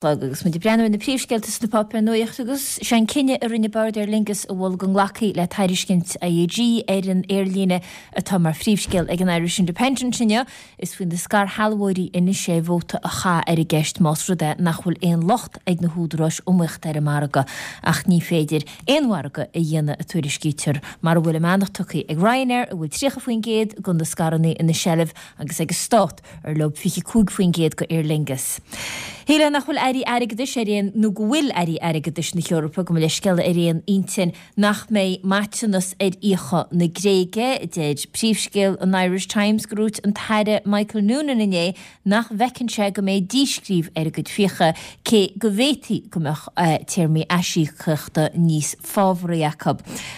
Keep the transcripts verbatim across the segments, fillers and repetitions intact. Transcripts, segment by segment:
Agus muid ag breathnú ar na príomhscéalta sna páipéir nuachta agus sé an cinneadh a rinne Bord Aer Lingus a mhol go nglacfaí le tairiscint IAG ar an aerlíne atá mar phríomhscéal ag an Irish Independent inniu. Is faoi na scairshealbhóirí anois é vóta a chaitheamh ar an gceist más rud é nach bhfuil aon locht ag na húdaráis iomaíochta ar an margadh ach ní féidir aon mhargadh a dhéanamh a tuairiscítear mar a bhfuil a mbeannacht tugtha ag Ryanair a bhfuil tríocha faoin gcéad de na scaireanna ina seilbh agus ag an Stát ar leo fiche cúig faoin gcéad go Aer Lingus. Shílfeá nach bhfuil airí airgeadais ar aon nó go bhfuil airí airgeadais na hEorpa gabh mo leithscéal ar aon intinn nach mbeidh maiteanas ar fhiacha na Gréige. Deir príomhscéal an Irish Times gur dhúirt an tAire Michael Noonan inné nach bhfeiceann sé go mbeidh díscríobh ar a gcuid fiacha cé go bhféadfaí go mbeadh téarmaí aisíocaíochta níos fábhraí acu.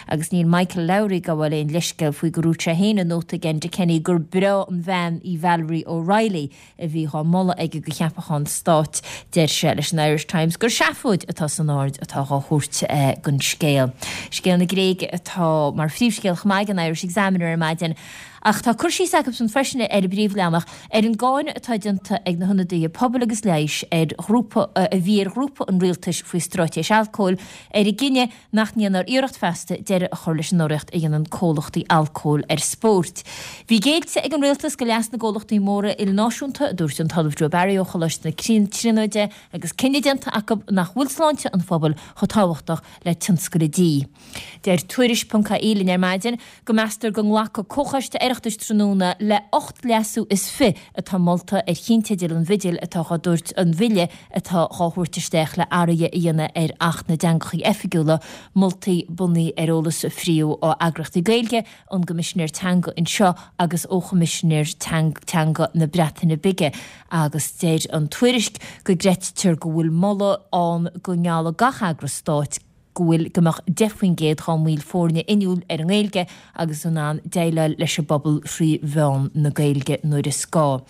Agus níl Michael Lowry ag gabháil aon leithscéal faoi gur dhúirt sé féin i nóta ag Enda Kenny gur breá an bhean í Valerie O'Reilly a bhí dhá moladh aige go cheapachán stáit. Deir sé leis an Irish Times gur seafóid atá san aird atá dhá thabhairt don scéal. Scéal na Gréige atá mar phríomhscéal chomh maith ag an Irish Examiner ar maidin. Ach tá cur síos acusan freisin ar an bpríomhleathanach ar an gcáineadh atá déanta ag na hionadaithe pobail agus leighis ar ghrúpa a bhí ar ghrúpa an rialtais faoi straitéis alcóil ar an gcinneadh nach ndéanfar iarracht feasta deireadh a chur leis an urraíocht a dhéanann comhlachtaí alcóil ar spóirt. Bhí géillte ag an rialtas go leas na gcomhlachtaí móra ilnáisiúnta, a dúirt an tOllamh Joe Barry ó Choláiste na Tríonóide, agus cinneadh déanta acu nach bhfuil sláinte an phobail chomh tábhachtach le tionscal an dí. Deir Tuairisc ponc ie linn ar maidin go meastar go nglacfaidh Comhchoiste Oireachtais tráthnóna le ocht leasú is fiche atá molta ar chinnteidil an bhidil atá dhá dtabhairt an bhille atá dhá thabhairt isteach le athruithe a dhéanamh ar Acht na dTeangacha Oifigiúla, moltaí bunaithe ar eolas a fríodh ó eagraíochtaí Gaeilge, ón gCoimisinéir Teanga anseo agus ó Choimisinéir Teanga na Breataine Bige agus deir an tuairisc go gcreidtear go bhfuil moladh ann go ngeallfadh gach eagras stáit go bhfuil go mbeadh deich faoin gcéad dá mbaill foirne inniúil ar an nGaeilge agus in ann déileáil leis an bpobal thrí mheán na Gaeilge nuair is gá.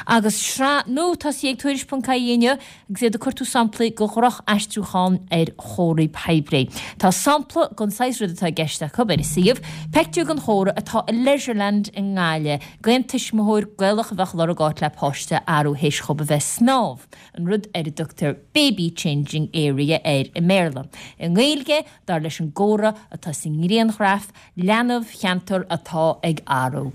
Agus sraith nua tosaithe ag Tuairisc ponc ie inniu agus iad ag cuartú samplaí de dhroch-aistriúchán ar chomharthaí poiblí. Tá sampla den saghas rud atá i gceist acu ar a suíomh, pictiúr den chomhartha atá i Leisureland i nGaillimh, d'aon tuismitheoir Gaelach a bheadh ag lorg áit le páiste a athrú théis dhóibh a bheith ag snámh, an rud ar a dtugtar baby changing area air i mBéarla. I nGaeilge, dar leis an gcomhartha atá sa ngrianghraf, leanbh cheantar atá ag athrú.